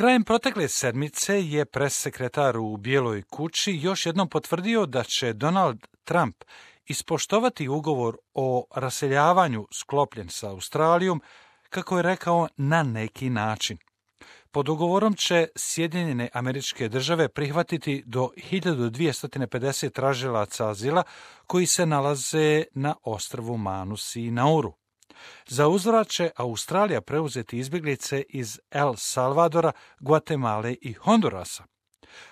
Krajem protekle sedmice je pressekretar u Bijeloj kući još jednom potvrdio da će Donald Trump ispoštovati ugovor o raseljavanju sklopljen sa Australijom, kako je rekao, na neki način. Pod ugovorom će Sjedinjene Američke Države prihvatiti do 1250 tražilaca azila koji se nalaze na ostrvu Manus i Nauru. Za uzvrat će Australija preuzeti izbjeglice iz El Salvadora, Gvatemale i Hondurasa.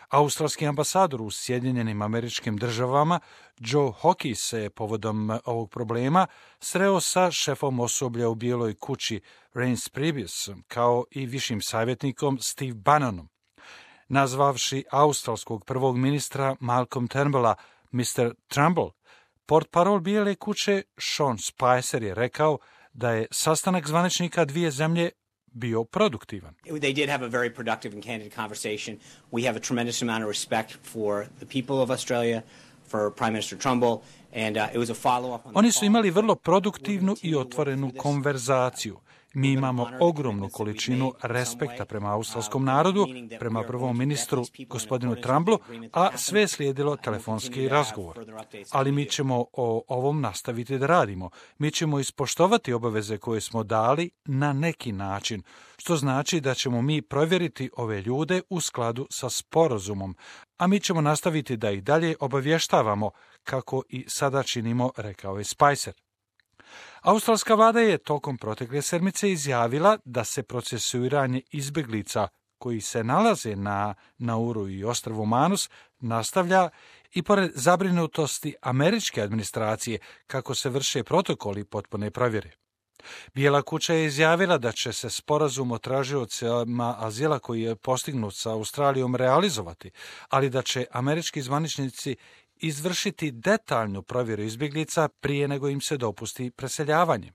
Australski ambasador u Sjedinjenim Američkim Državama Joe Hockey se povodom ovog problema sreo sa šefom osoblja u Bijeloj kući Reince Priebus, kao i višim savjetnikom Steve Bannonom. Nazvavši australskog prvog ministra Malcolm Turnbulla Mr. Trumbull, portparol Bijele kuće Sean Spicer je rekao da je sastanak zvaničnika dvije zemlje bio produktivan. They did have a very productive and candid conversation. We have a tremendous amount of respect for the people of Australia, for Prime Minister Trumbull, and it was a follow-up on Oni su imali vrlo produktivnu i otvorenu konverzaciju. Mi imamo ogromnu količinu respekta prema australskom narodu, prema prvom ministru, gospodinu Trumbullu, a sve je slijedilo telefonski razgovor. Ali mi ćemo o ovom nastaviti da radimo. Mi ćemo ispoštovati obaveze koje smo dali na neki način, što znači da ćemo mi provjeriti ove ljude u skladu sa sporazumom, a mi ćemo nastaviti da ih dalje obavještavamo, kako i sada činimo, rekao je Spicer. Australska vlada je tokom protekle sedmice izjavila da se procesuiranje izbjeglica koji se nalaze na Nauru i ostrvu Manus nastavlja i pored zabrinutosti američke administracije kako se vrše protokoli potpune provjere. Bijela kuća je izjavila da će se sporazum o tražiocima azila koji je postignut sa Australijom realizovati, ali da će američki zvaničnici izvršiti detaljnu provjeru izbjeglica prije nego im se dopusti preseljavanje.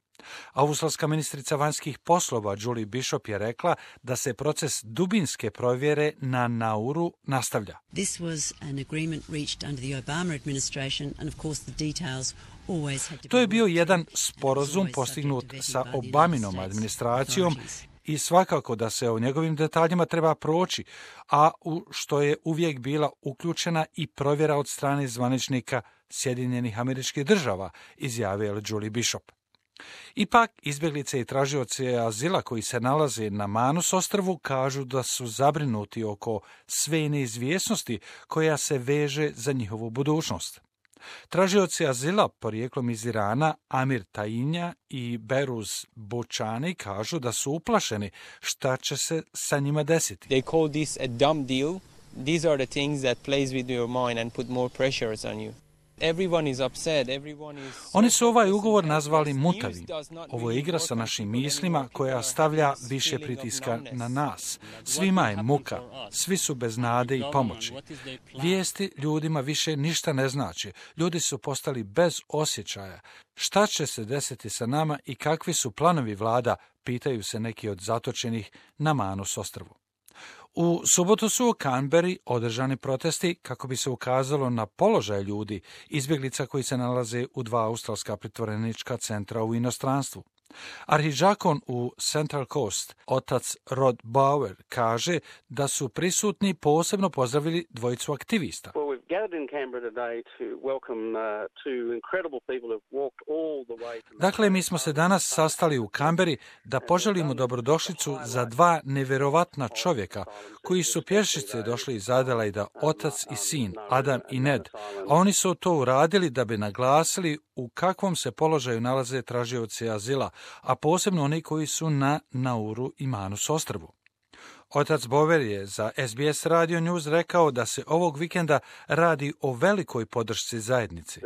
Australska ministrica vanjskih poslova Julie Bishop je rekla da se proces dubinske provjere na Nauru nastavlja. This was an agreement reached under the Obama administration and of course the details always had to be. To je bio jedan sporazum postignut sa Obaminom administracijom i svakako da se o njegovim detaljima treba proći, a u što je uvijek bila uključena i provjera od strane zvaničnika Sjedinjenih Američkih Država, izjavila Julie Bishop. Ipak, izbjeglice i tražioci azila koji se nalaze na Manus ostrvu kažu da su zabrinuti oko sve neizvjesnosti koja se veže za njihovu budućnost. Tražioci azila porijeklom iz Irana Amir Tainja i Beruz Bočani kažu da su uplašeni šta će se sa njima desiti. They call this a dumb deal. These are the things that plays with your mind and put more pressures on you. Everyone is upset, everyone is... Oni su ovaj ugovor nazvali mutavim. Ovo je igra sa našim mislima koja stavlja više pritiska na nas. Svima je muka, svi su bez nade i pomoći. Vijesti ljudima više ništa ne znači. Ljudi su postali bez osjećaja. Šta će se desiti sa nama i kakvi su planovi vlada, pitaju se neki od zatočenih na Manus ostrvu. U subotu su u Canberri održani protesti kako bi se ukazalo na položaj ljudi, izbjeglica koji se nalaze u dva australska pritvorenička centra u inostranstvu. Arhidžakon u Central Coast, otac Rod Bauer, kaže da su prisutni posebno pozdravili dvojicu aktivista. Dakle, mi smo se danas sastali u Canberri da poželimo dobrodošlicu za dva nevjerovatna čovjeka koji su pješice došli iz Adelaida, otac i sin, Adam i Ned, a oni su to uradili da bi naglasili u kakvom se položaju nalaze tražioci azila, a posebno oni koji su na Nauru i Manus ostrvu. Otac Bover je za SBS Radio News rekao da se ovog vikenda radi o velikoj podršci zajednici.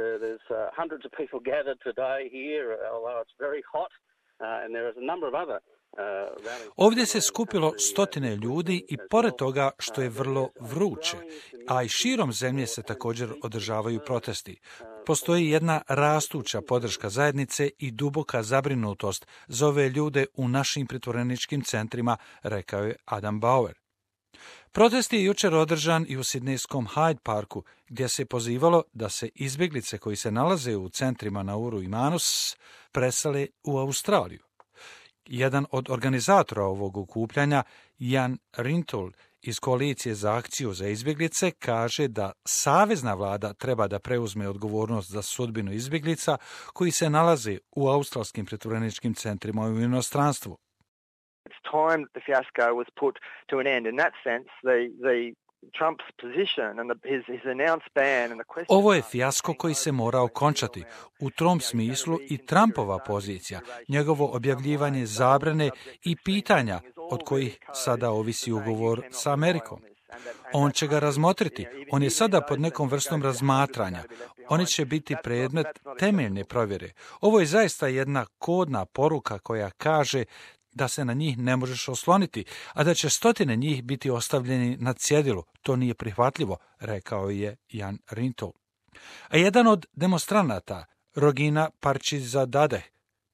Ovdje se skupilo stotine ljudi i pored toga što je vrlo vruće, a i širom zemlje se također održavaju protesti. Postoji jedna rastuća podrška zajednice i duboka zabrinutost za ove ljude u našim pritvoreničkim centrima, rekao je Adam Bauer. Protest je jučer održan i u sidnejskom Hyde Parku, gdje se pozivalo da se izbjeglice koji se nalaze u centrima Nauru i Manus presele u Australiju. Jedan od organizatora ovog okupljanja, Jan Rintoul, iz Koalicije za akciju za izbjeglice, kaže da savezna vlada treba da preuzme odgovornost za sudbinu izbjeglica koji se nalaze u australskim pritvoreničkim centrima u inostranstvu. It's time that the fiasco was put to an end. In that sense, the Trump's position and his announced ban and the question... Ovo je fijasko koji se mora okončati. U tom smislu i Trumpova pozicija, njegovo objavljivanje zabrane i pitanja od kojih sada ovisi ugovor sa Amerikom. On će ga razmotriti. On je sada pod nekom vrstom razmatranja. Oni će biti predmet temeljne provjere. Ovo je zaista jedna kodna poruka koja kaže da se na njih ne možeš osloniti, a da će stotine njih biti ostavljeni na cjedilu. To nije prihvatljivo, rekao je Jan Rintoul. A jedan od demonstranata, Rogina Parčizadadeh,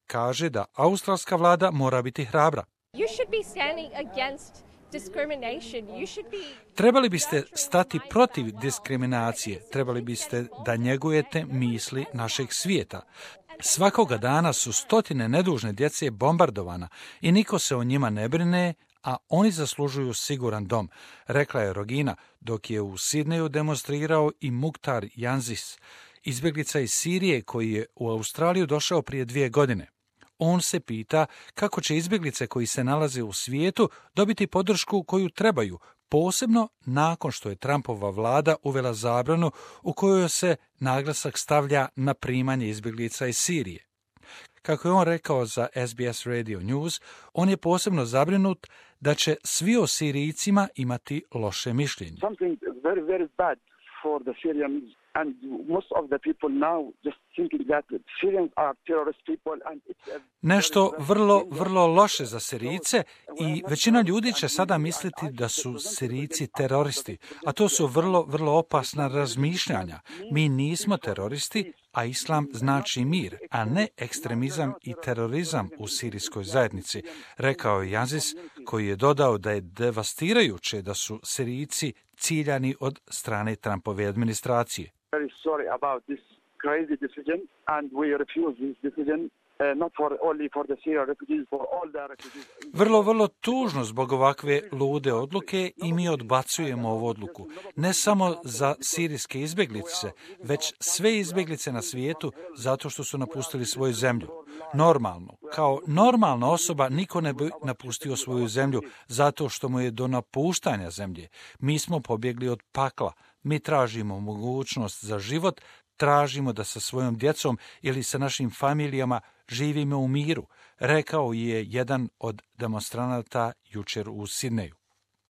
kaže da australska vlada mora biti hrabra. Trebali biste stati protiv diskriminacije, trebali biste da njegujete misli našeg svijeta. Svakoga dana su stotine nedužne djece bombardovana i niko se o njima ne brine, a oni zaslužuju siguran dom, rekla je Rogina, dok je u Sidneju demonstrirao i Mukhtar Yanzis, izbjeglica iz Sirije koji je u Australiju došao prije 2 godine. On se pita kako će izbjeglice koji se nalaze u svijetu dobiti podršku koju trebaju, posebno nakon što je Trumpova vlada uvela zabranu u kojoj se naglasak stavlja na primanje izbjeglica iz Sirije. Kako je on rekao za SBS Radio News, on je posebno zabrinut da će svi o Sirijcima imati loše mišljenje. Something very, very bad for the Syrians. And most of the people now just thinking that Syrians are terrorist people and it's Nešto vrlo loše za Sirijce i većina ljudi će sada misliti da su Sirijci teroristi, a to su vrlo opasna razmišljanja. Mi nismo teroristi, a islam znači mir, a ne ekstremizam i terorizam u sirijskoj zajednici, rekao je Yanzis, koji je dodao da je devastirajuće da su Sirijci ciljani od strane Trumpove administracije. very sorry about this crazy decision and we refuse this decision. Not for only for the Syrian refugees, for all the refugees. Vrlo tužno zbog ovakve lude odluke i mi odbacujemo ovu odluku. Ne samo za sirijske izbjeglice, već sve izbjeglice na svijetu zato što su napustili svoju zemlju. Normalno, kao normalna osoba niko ne bi napustio svoju zemlju zato što mu je do napuštanja zemlje. Mi smo pobjegli od pakla. Mi tražimo mogućnost za život, tražimo da sa svojom djecom ili sa našim familijama živimo u miru, rekao je jedan od demonstranata jučer u Sidneju.